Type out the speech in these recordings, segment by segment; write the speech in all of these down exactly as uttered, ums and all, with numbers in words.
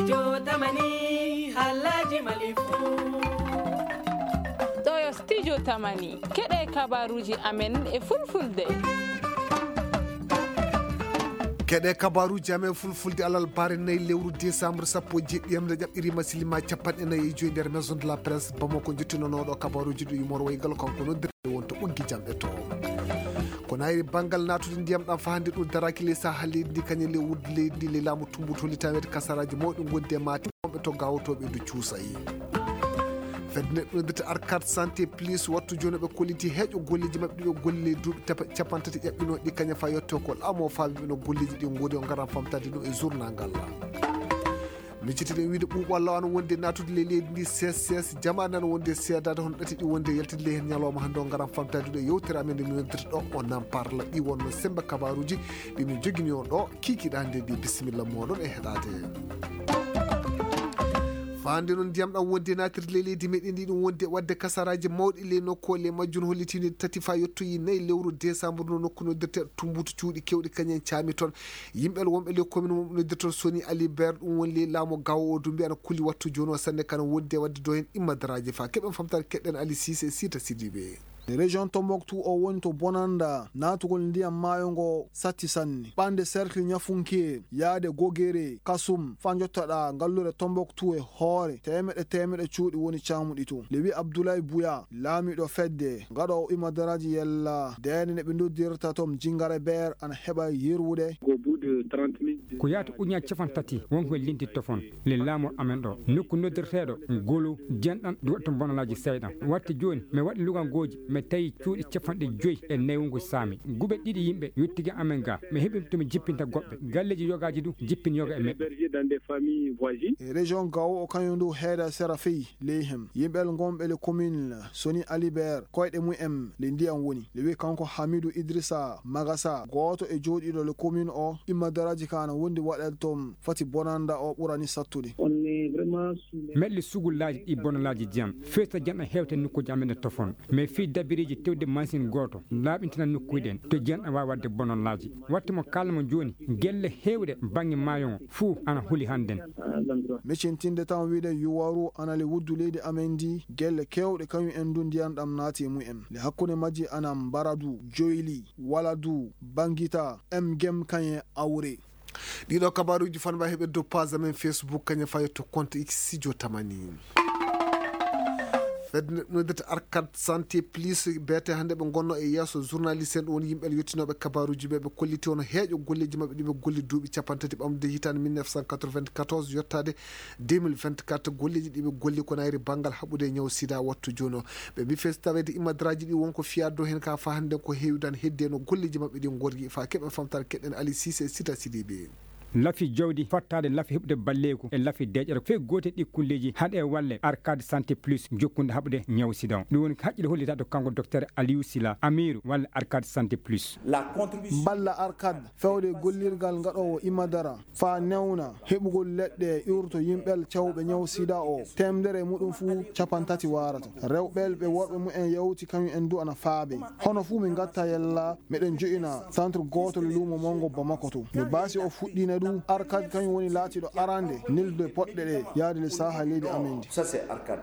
Jotamani, Alhaji Malifu. Ɗo yo Studio Tamani. Keɗe kabaruji amen e fulfulde. Keɗe kabaruji amen fulfulde alal bare nayi lewru décembre sappo e jeɗɗi, yamde ƴaɓɓirima silima capanɗe nayi e joyi nder Maison de la Presse Bamako, jottinonoɗo kabaruji ɗo yumor waygal kanko noon. Wonto ɓoggi jam e to. Ko nayri banngal naatude ndiyam ɗam fahande ɗum daraki ley saha leydi ndi, kañum ley wudde leydi ndi, ley laamu tumbutu litaweede kasaraaji mawɗi ngondi e maate wonɓe to gawotooɓe ndu cuusayi. Fedde neɗɗo noddirta Arcade Santé Plus wattu jooni ɓe kolliti heeƴo golleeji maɓɓe ɗi ɓe golli ley duuɓi tapa-, capanɗe tati ƴaɓɓinoo ɗi, kañum fa yetto ko laamu o faabi ɓe no golleeji ɗi ngoni o ngaran famtaade ɗum e journal ngal. Miccitiɗen wiide ɓuuɓol law ana wonde naatude ley leydi ndi, ses ses jamaane ana wonde seedaade hono ɗati ɗi wonde yaltide ley heen ñalawma hannde o ngaran famtaade ɗo yewtere amen nde min noddirta ɗo o nan parla ɗi wonno sembe kabaruuji ɗi min jogini on ɗo kikiɗande ɗi. Bisimilla moɗon e heɗaade. Faande noon ndiyam ɗam wonde naatirde ley leydi meɗen ndi ɗum wonde waɗde kasaraaji mawɗi ley nokku o ley majjum hollitinde tati fa yettoyi nayi lewru décembre no nokku noddirte tumbutu cuuɗi kewɗi kañum en caami toon. Yimɓe wonɓe ley commune mum noddirtoo Soni Alibert, ɗum woni ley laamu gawo o, Dumbi ana kulli wattu jooni o sanne kana wonde waɗde do heen immadaraaji fa keɓen famtaade keɗɗen Ali Cissé e Sita Sidibe. Région Tombouctou o woni to bonanda naatugol ndiyam maayo ngo satti sanne. Ɓande cercle Ñafunke, yaade Gogere, Kasum, fa jottaɗa ngallure Tombouctou e hoore teemeɗe teemeɗe cuuɗi woni caamuɗi to. Nde wi Abdoulaye Bouya, laamiɗo fedde gaɗoowo immadaraaji yella deene ne ɓe noddirta toon Jingare Beer ana heɓa yerwude. Ko yaata ujunnaaji capanɗe tati wonko en lintitto fon le laamu amen ɗo. Nokku noddirteeɗo Golo, jenɗan, ɗum waɗi toon bonalaaji seyɗan. Waɗti jooni, mi waɗi lugangooji, mi tawi cuuɗi capanɗe joyi e nayi wonko saami. Guɓe ɗiɗi yimɓe yottigi amen ga. Mi heɓi to mi jippinta goɗɓe. Galleeji yogaaji du, jippin yoga e meɗɗe. E région Gao o kañum du heeda sera fey ley hem. Yimɓe ngonɓe le commune Soni Alibert, koyɗe mum en le ndiyam woni. Le wi kanko Hamidou Idrissa Magasa, gooto e jooɗiiɗo le commune o, immadaraaji ka ana wondi waɗeede toon fati bonanda o ɓurani sattude. Meɗli sugullaaji ɗi bonalaaji jam. Feesta jam e hewte nokkuuji amen e tofon. Mais fii dabiriiji tewde machine gooto, laaɓintina nokkuuji ɗen. To jam ɗan waawi waɗde bonalaaji. Waɗti mo kaalmo jooni, gelle heewɗe bannge maayo ngo fuu ana huli hannden. Miccintinde tan wiide Yuwaru ana le wuddu leydi amen ndi, gelle keewɗe kañum en du ndiyan ɗam naati e mum en. Le hakkunde majji ana Mbaradu, Joyli, Waladu, Bangita, M Gem kañe Awre. Ɗiɗo kabaruuji fan mbawi heɓe dow page amen Facebook kañum fayi to compte X Studio Tamani. Fedde noddirta Arcade Santé Plus, beete hannde ɓe ngonno e yeeso journaliste en, ɗum woni yimɓe yettinooɓe kabaruuji ɓe, ɓe kolliti hono heeƴo golleeji maɓɓe ɗi ɓe golli duuɓi capanɗe tati ɓamde hitaande mille neuf cent quatre-vingt-quatorze yottaade deux mille vingt-quatre. Golleeji ɗi ɓe golli ko nayri banngal haɓude e ñaw sida wattu jooni o. Ɓe mbi fees taweede immadaraaji ɗi wonko fiyaade dow heen ka fa hannde ko heewi dan hedde no golleeji maɓɓe ɗi ngorgi fa keɓen famtaare keɗen Ali Cissé e Sita Sidibe. Lafi jawdi fattaade lafi heɓude balleeku e lafi deeƴere fee gootel ɗi kulleeji haɗe walle Arcade Santé Plus jokkunde haɓude ñaw sida on. Ɗum woni haqqille hollitaade kanko Docteur Aliou Sila, Amiru walla Arcade Santé Plus. Balla Arcade fewde gollirgal ngaɗoowo imadara faa newna heɓugol leɗɗe iwruto yimɓel cawɓe ñaw sida o, teemdere e muɗum fuu capantati waarata. Rewɓel ɓe worɓe mumen yawti kañum en du ana faabe. Hono fuu min ngatta yella meɗen jo'ina centre gooto le luumo manngo Bamako to. No baasi o fuɗɗiina du Arcade kañum woni laatiiɗo arande neldude poɗɗe ɗe yaade le saaha leydi amen ndi.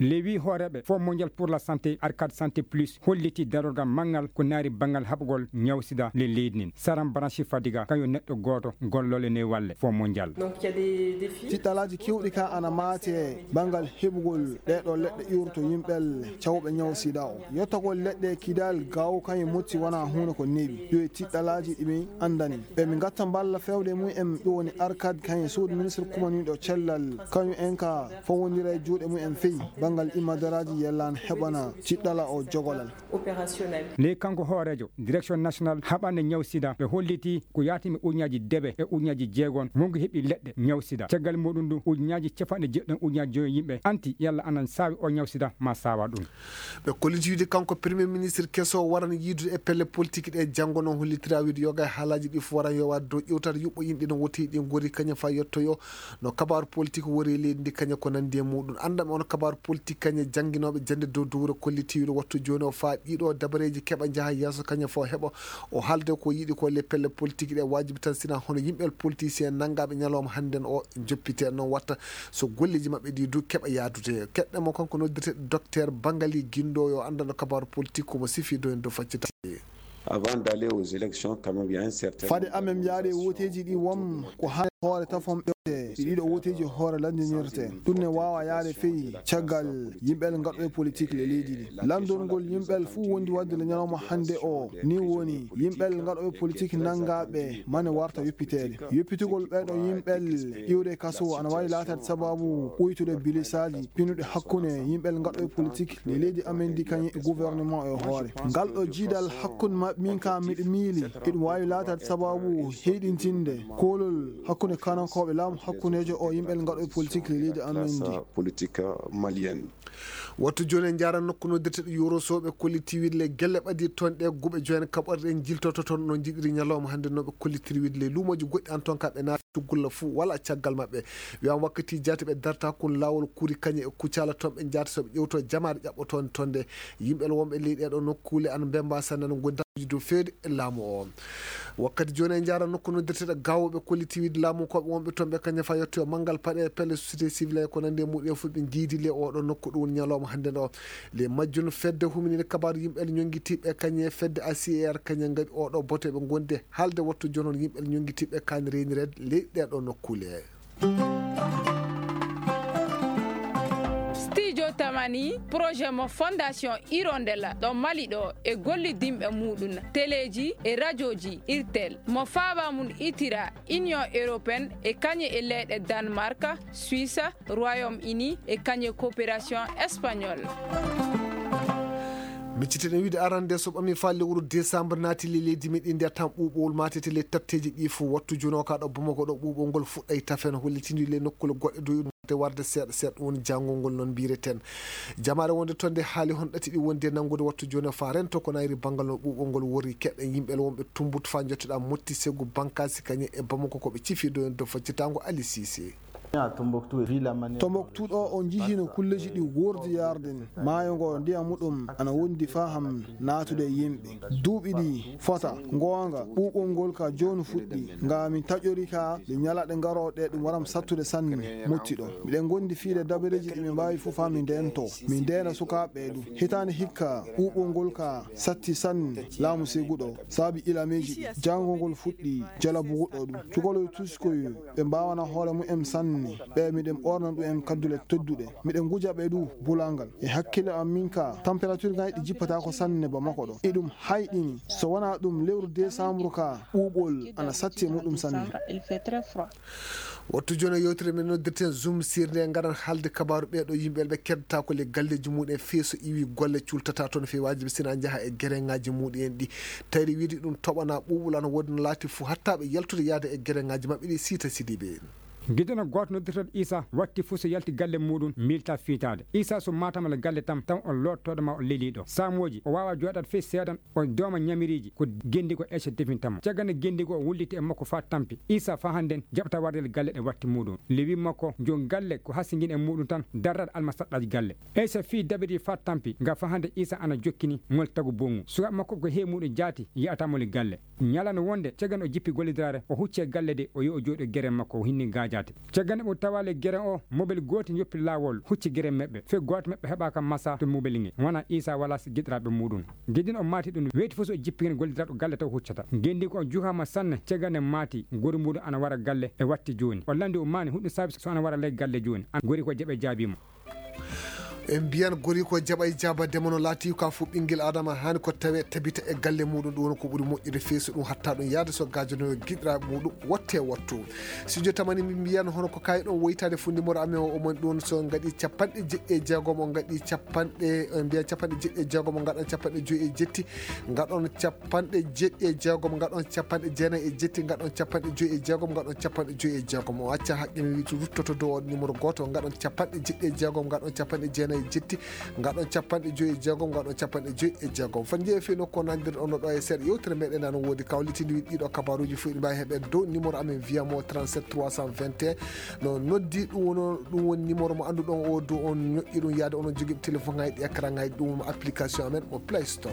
Lewi hooreeɓe Fonds Mondial pour la Santé, Arcade Santé Plus, holliti darorgal manngal ko naari banngal haɓugol ñaw sida le leydi nin. Saram Branche Fadiga, kañum neɗɗo gooto gollooɗo e walle Fonds Mondial. Tiɗɗalaaji kewɗi ka ana maate banngal heɓugol ɗee ɗoo leɗɗe iwruto yimɓel cawɓe ñaw sida o. Yottagol leɗɗe Kidal Gao kañum motti wonaa huunde ko newi. Ɗum e tiɗɗalaaji ɗi min anndani. Ɓe min ngatta mballa fewde mum en ɗum woni Arcade kañum suudu ministre kumaniiɗo cellal. Kañum en ka fawondira e juuɗe mum en fey banngal imadaraaji yellaan heɓana tiɗɗala o jogolal. Opérationnel. Ley kanko hooreejo Direction National haɓande ñaw sida ɓe holliti ko yaatimi ujunnaaji debe e ujunnaaji jeegon wonko heɓi leɗɗe ñaw sida. Caggal muɗum du ujunnaaji capanɗe jeɗɗi ujunnaaji joyi yimɓe anti yalla anan saawi o ñaw sida ma saawa ɗum. Ɓe kolliti wiide kanko Premier Ministre keso waran yiidude e pelle politique ɗe janngo noon hollitira wiide yoga e haalaaji ɗi fof waran yowaade dow ƴewtaade yuɓɓo yimɓe no woti ɗi ngori kañe faa yettoyo no kabaaru politik wori e leydi ndi kañe ko nanndi e muɗum. Annda mi on kabaaru politik kañe jannginooɓe jannde dow dowre kollitiiwɗo wattu jooni o faa ɗiɗo dabareeji keɓa njaha yeeso kañe fof heɓa o haalde ko yiɗi ko le pelle politik ɗe waajibi tan sina hono yimɓe politicien nanngaaɓe ñalawma hannden o joppite noon watta so golleeji maɓɓe ɗi du keɓa yaadude. Keɗɗe mo kanko noddirte docteur Bangali Guindo yo anndano kabaaru politik ko mo sifi do en do faccita. Avant d'aller aux élections, quand même, il y a un certain Fade nombre amen de yaade négociations woteeji ɗi won ko haa hoore tafon ɓewte ɗi ɗiɗo woteeji hoore lanndinirte. Ɗum ne waawa yaade fey caggal yimɓe gaɗo e politik le leydi ɗi. Lanndol ngol yimɓe fof wondi waɗde le ñalawma hannde o ni woni yimɓe gaɗo e politik nanngaaɓe mane warta yoppiteede. Yoppitugol ɓeeɗo yimɓe iwde kaso ana waawi laataade sababu ɓuytude bilisaaji pinuɗe hakkunde yimɓe gaɗo e politik le leydi amen ndi kañum e gouvernement e hoore. Ngal ɗo jiidal hakkunde maɓɓe min ka miɗo miili iɗum waawi laataade sababu heyɗintinde koolol hakkunde kanankooɓe laamu hakkundeejo o yimɓe gaɗo e politik le leydi amen ndi. Politique malienne. Wattu jooni en njaara nokku noddirteɗo Yoroso ɓe kolliti wiide le gelle ɓadi toon ɗe guɓe joyen kaɓorɗe en jiltoto toon no jiɗiri ñalawma hannde no ɓe kollitiri wiide le luumooji goɗɗi an toon ka ɓe naati cuggulla fuu wala caggal maɓɓe. Wiyaama wakkati jaati ɓe darta kun laawol kuri kañe e kucala toon ɓe njaata so ɓe ƴewto jamaare ƴaɓɓotoonde toon nde yimɓe wonɓe ley ɗeɗo nokkuule an mbemba sanne no gondi dow feewde e laamu o. Wakkati jooni en njaara nokku noddirteɗo gaawooɓe kolliti wiide laamu koɓe wonɓe toon ɓe kañe fa yetto e manngal paɗe pelle société civile e ko nanndi e muɗum e fof ɓe njiidi le oɗo nokku ɗum woni ñalawma hannde ɗo. Le majjun fedde huminide kabaaru yimɓe ñonngitiiɓe kañe fedde A C R kañe ngaɗi oɗo bote ɓe gondi haalde wattu jonon yimɓe ñonngitiiɓe kaani reenireede ley ɗeɗo nokkuule. Studio Tamani, projet mo Fondation Hirondella ɗo Mali ɗo e gollidinɓe muɗum, teleeji e rajooji Irtel, mo faaba mum itira Union Européenne e kañe e leyɗe Danemark, Suisse, Royaume-Uni e kañe coopération espagnol. Micciten wiide arande so ɓami faa lewru décembre naati le leydi meɗen ndi a tan ɓuuɓowol maatete le tatteeji ɗi fof wattu jono ka ɗo Bamako ɗo ɓuuɓol ngol fuɗɗay tafen hollitindi le nokkule goɗɗe dow de warde seeɗa seeɗa woni janngol ngol noon mbireten. Jamaare wonde toon nde haali hon ɗati ɗi wondi e nanngude wattu jooni o faa rento ko nayri banngal no ɓuuɓol ngol worri keɗɗen yimɓe wonɓe tumbut faa njottoɗaa motti segu bankasi kañe e Bamako ko ɓe cifi do en do faccitaango Ali Sise. Tombouctou ɗo on njihino kulleji ɗi wordi yarden maayo ngo ndiyam muɗum ana wondi faham naatude e yimɓe duuɓi ɗi fota. Goonga ɓuuɓol ngol ka jooni fuɗɗi nga min taƴori ka ɗe ñalaɗe ngarooɗe ɗum waram sattude sanne mottiɗo. Miɗen gondi fiide dabareeji ɗi min mbaawi fof haa min ndento min ndeena sukaaɓe ɓe ɗum. Hitaande hikka ɓuuɓol ngol ka satti sanne laamu seguɗo saabi ilameeji ɗi janngol ngol fuɗɗi jalabuguɗo ɗum cukaloy tuskoy ɓe mbaawana hoore mumen sanne. Ɓe miɗen ɓoorna ɗum en kaddule tedduɗe miɗen nguja ɓe du bulangal e hakkille am min ka température ngaji ɗi jippata ko sanne ba makko ɗo iɗum hayɗini so wona ɗum lewru décembre ka ɓuuɓol ana satti e muɗum sanne. Wattu jooni yewtere men noddirten zoom sirde ngaɗan haalde kabaaru ɓeeɗo yimɓe ɓe keddata ko le galleji muɗum e fee so iwi golle cultata toon fewaji ɓe sina njaha e gereŋaji muɗum en ɗi tayri wiide ɗum toɓana ɓuuɓol ana woodi no laati fuu hatta ɓe yaltude yaade e gereŋaji maɓɓe ɗi siita sidiɓe en. Giɗɗo gooto noddirteeɗo Isa watti fuu so yalti galle muuɗum miilta fiitaade. Isa so maataama le galle tan taw on loottooɗo ma o lelii ɗo. Saamooji o waawaa jooɗaade fey seeɗan o dooma ñamiriiji ko genndi ko Ece definta mo. Caggal nde genndi ko o wulliti e makko faa tampi. Isa faa hannden jaɓata warde le galle ɗe watti muuɗum. Lewi makko joom galle ko hasingin e muuɗum tan darrat alma saɗɗaaji galle. Ece fii dabiri faa tampi nga faa hannde Isa ana jokkini mol tagu bongu. Sukaaɓe makko ko hee muuɗum jaati yi'ataa moli galle. Ñalano wonde cagano o jippi gollidiraare o hucci e galle de o yo o jooɗo gere makko o hinni gaajaate. Cagano ɓe tawaali gere o mobel gootel yoppi laawol hucci gere meɓɓe fe gooto meɓɓe heɓaaka masa to mobel nge wona Isa wala si giɗiraaɓe muɗum. Gedin o maati ɗum weyti fof so o jippi hen gollidiraɗo galle taw huccata. Gendi ko o juhama sanne cagane maati gori muɗum ana wara galle e watti jooni o landi o maani huɗum saabi so ana wara ley galle jooni an gori ko jaɓe jaabiima. En mbiyan gori ko jaɓa e jaaba dema no laati ka fof ɓinngel adama haani ko tawe tabita e galle muɗum ɗum woni ko ɓuri moƴƴude feeso ɗum hatta ɗum yaade so gaajono giɗiraaɓe muɗum wotte wattu. Studio Tamani min mbiyan hono ko kayi ɗon woytaade fof numéro amen o omon ɗum so ngaɗi capanɗe jeɗɗi e jeegom o ngaɗi capanɗe mbiyan capanɗe jeɗɗi e jeegom o ngaɗan capanɗe joyi e jetti ngaɗon capanɗe jeɗɗi e jeegom ngaɗon capanɗe jeenayi e jetti ngaɗon capanɗe joyi e jeegom ngaɗon capanɗe joyi e jeegom o acca haqqe mi wi ruttoto dow on numéro gooto ngaɗon capanɗe jeɗɗi e jeegom ngaɗon capanɗe jeenayi. Jetti, ngaɗon capanɗe joyi e jeegom, ngaɗon capanɗe joyi e jeegom. Fan jeeyi fii nokku o nandir ono ɗo e seeɗa yewtere meɗen nano woodi kawlitindi wiɗi ɗiɗo kabaruji fof iɗi mbawi heɓen dow numéro amen via mo trente-sept trois cent vingt et un. No noddi ɗum wono, ɗum woni numéro mo annduɗon o dow on ñoƴƴi ɗum yaade onon jogiiɓe téléphone ngaji ɗi écran ngaji ɗum application amen mo Play Store.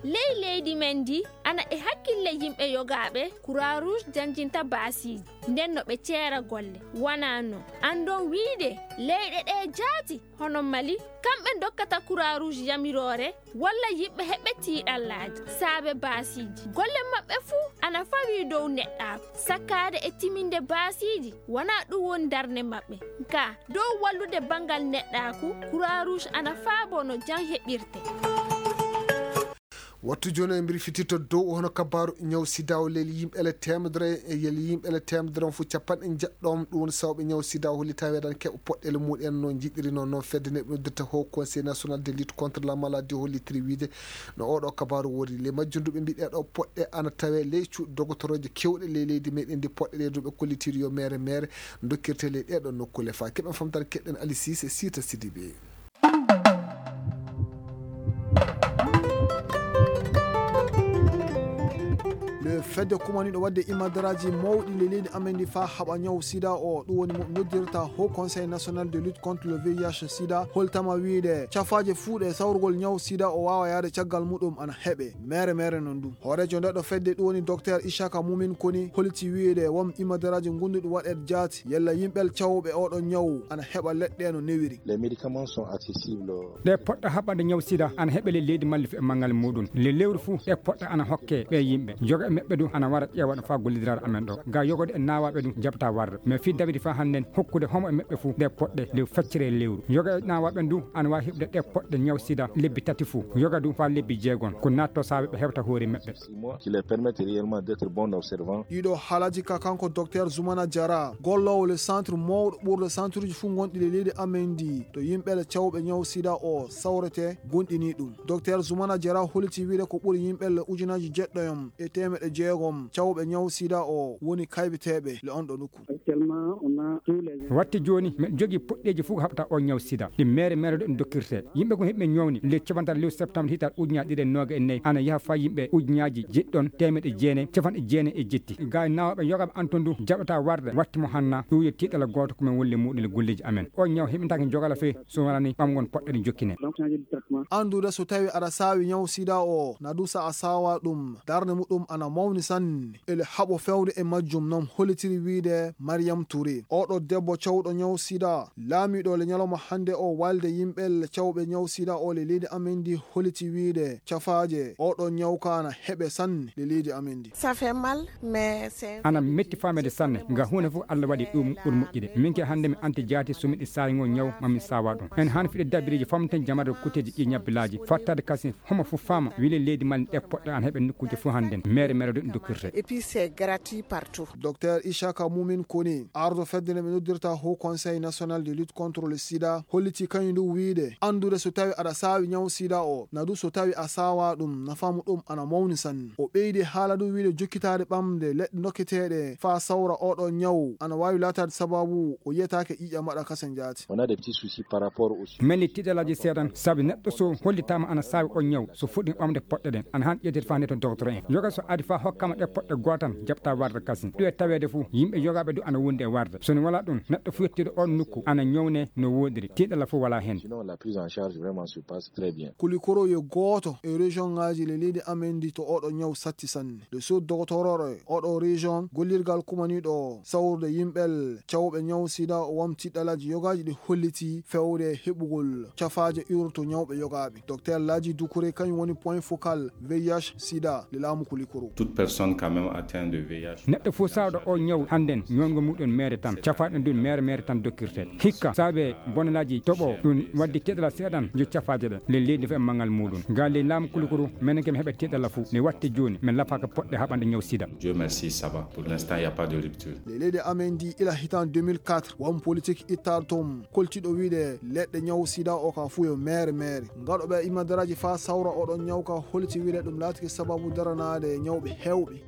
Ley leydi men ndi, ana e hakkille yimɓe yogaaɓe Croix Rouge janjinta baasiiji, nden no ɓe ceera golle. Wanaa non, anndon wiide leyɗe ɗe jaati, hono Mali, kamɓe ndokkata Croix Rouge yamiroore, walla yimɓe heɓɓe tiiɗallaaji saabe baasiiji. Golle maɓɓe fuu ana fawii dow neɗɗaaku, sakkaade e timinde baasiiji, wanaa ɗum woni darnde maɓɓe. Ka dow wallude banngal neɗɗaaku, Croix Rouge ana faaboo no jam heɓirte. Wattu jooni en mbirfititto dow hono kabaaru ñaw sida o leli yimɓe ele teemedere, e yeli yimɓe ele teemedere on fof capanɗe njeɗɗo on. Ɗum woni sawɓe ñaw sida o holli taweedan keɓa poɗɗele muɗen no jiɗiri noon. Noon fedde nde ɓe noddirta Haut Conseil National de Lutte contre la Maladie hollitiri wiide no oɗo kabaaru wori. Le majjunduɓe mbiɗe ɗo poɗɗe ana tawe ley cuuɗi dogotoroje kewɗe ley leydi meɗen ndi. Poɗɗe ɗe duɓe kollitiri yo mere mere dokkirte ley ɗeɗo nokkule. Fa keɓen famtare keɗɗen Ali Cissé, Sita Sidibé. Le fedde kumaniɗo wadde imadaraaji mawɗi le leydi amen ndi fa haɓa ñaw sida o, ɗum woni mo noddirta Haut Conseil National de Lutte contre le V I H sida, holtama wiide cafaaje fuu ɗe sawrugol ñaw sida o waawa yaade caggal muɗum ana heɓe mere mere non ɗum. Hooreejo ndeɗo fedde ɗum woni Docteur Ishaka Mumin Koni holiti wiide won imadaraaji gonduɗi waɗeede jaati yalla yimɓe cawɓe oɗo ñaw ana heɓa leɗɗe no newiri. Les médicaments sont accessibles. Ɗe poɗɗa haɓande ñaw sida ana heɓe le leydi malli e manngal muɗum. Le lewru fuu ɗe poɗɗa ana hokke ɓe yimɓe. Yoga e meɓɓe du ana wara ƴeewa ɗo faa gollidiraare amen ɗo. Ga yogode e naawaaɓe du jaɓata warde. Mais fii dabiri faa hannden hokkude homo e meɓɓe fuu ɗe poɗɗe le feccere e lewru. Yoga e naawaaɓe du ana waawi heɓde ɗe poɗɗe ñaw sida lebbi tati fuu. Yoga du faa lebbi jeegom. Ko naatto saabe ɓe hewta hoore meɓɓe. Six mois, qui leur permettent réellement d'être bons observants. Ɗiɗo haalaaji ka kanko Docteur Zoumana Diarra, golloowo le centre mawɗo ɓurɗo centre uji fuu gonɗi le leydi amen ndi, to yimɓe le cawɓe ñaw sida o sawrete, gonɗini ɗum. Docteur Zoumana Diarra holliti wiide ko ɓuri yimɓe le ujunaji jeɗɗoyom e teemeɗe jeegom cawɓe ñaw sida o woni kaybeteeɓe le on ɗo nokku. Actuellement, on a tous les. Watti jooni, miɗo jogii poɗɗeeji fof ko haɓata o ñaw sida. Ɗi mere mere ɗo ɗum dokkirte. Yimɓe ko heɓɓe ñawni, le capanɗe tati lewru septembre hitaande ujunaaji ɗiɗi e noogay e nayi, ana yaha faa yimɓe ujunnaaji jeɗɗi ɗon, teemeɗe jeenayi, capanɗe jeenayi e jetti. Ga e naawaaɓe yogaaɓe an ton du, jaɓata warde, watti mo hanna, ɗum yo tiiɗalla gooto ko men wolli muɗum e golleeji amen. O ñaw heɓintaake jogala fee, so wonani ɓamgol poɗɗe ɗe jokkine. Donc, changer de traitement. Anndude so tawi aɗa saawi ñaw sida o, na du sa a saawa ɗum, darnde muɗum ana mawni sanne. Ele haɓo fewde e majjum non hollitiri wiide Mariam Touré. Oɗo debbo cawɗo ñaw sida, laamiɗo le ñalawma hannde o walde yimɓe le cawɓe ñaw sida o le leydi amen ndi holliti wiide cafaaje oɗo ñaw ka ana heɓe sanne le leydi amen ndi. Ça fait mal, mais c'est. Ana metti faamede sanne, nga huunde fof Allah waɗi ɗum ɓuri moƴƴude. Min ke hannde mi anti jaati so miɗi saayngol ñaw ma mi saawa ɗum. En haani fiɗe dabiriji famten jamare kuteji ɗi ñabbilaaji, fattade kasi homo fof faama, wile leydi Mali ɗe poɗɗe an heɓe nokkuuje fof hannden. Mere mere ɗo ɗum dokkirte. Et puis c'est gratuit partout. Docteur Ishaka Mumin Koni, ardo fedde nde ɓe noddirta Haut Conseil National de Lutte contre le sida, holliti kañum ndu wiide, anndude so tawi aɗa saawi ñaw sida o, na du so tawi a saawa ɗum, nafaamu ɗum ana mawni sanne. O ɓeydi haala du wiide jokkitaade ɓamde leɗɗe dokketeeɗe faa sawra oɗo ñaw, ana waawi laataade sababu o yiyataake ƴiiƴam waɗa kasen jaati. On a des petits soucis par rapport au. Meli tiiɗalaaji seeɗan, sabi neɗɗo so hollitaama ana saawi o ñaw, so fuɗɗi ɓamde poɗɗe ɗen, ana han ƴettede faa nde to docteur en. Yoga so adi faa hokkama ɗe poɗɗe gootan, jaɓta warde kasin. Ɗum e taweede fuu, yimɓe yogaaɓe du ana wondi e warde. So ne wala ɗum, neɗɗo fuu yettiiɗo on nokku ana ñawne no woodiri, tiiɗalla fuu wala hen. Sinon, la prise en charge vraiment se passe très bien. Kulikoro yo gooto e région ngaaji le leydi amen ndi to oɗo ñaw satti sanne. Le sous doctorore oɗo région, gollirgal kumaniiɗo sawrude yimɓe cawɓe ñaw sida o wam tiiɗalaaji yogaaji ɗi holliti fewde heɓugol cafaaje urto ñawɓe yogaaɓe. Docteur Laji Doucouré kañum woni point focal V I H sida le laamu Kulikoro. Toute personne quand même atteinte de V I H. Neɗɗo fof sawɗo o ñaw hannden ñowngo muɗum mere tan, cafaaɗo ndun mere mere tan dokkirte. Hikka saabe bonelaaji toɓo ɗum waddi teɗala seeɗan yo cafaaje ɗe le leydi fof e manngal muɗum. Ngal ley laamu Kulikoro menen ke mi heɓe teɗala fof ne watti jooni min lafaaka poɗɗe haɓande ñaw sida. Dieu merci, ça va. Pour l'instant, il n'y a pas de rupture. Le leydi amen ndi ila hitan deux mille quatre, won politique ittaɗo toon koltiɗo wiide leɗɗe ñaw sida o ka fuu yo mere mere. Ngaɗoɓe imadaraaji faa sawra oɗon ñaw ka holiti wiide ɗum laatike sababu daranaade ñawɓe heewɓe.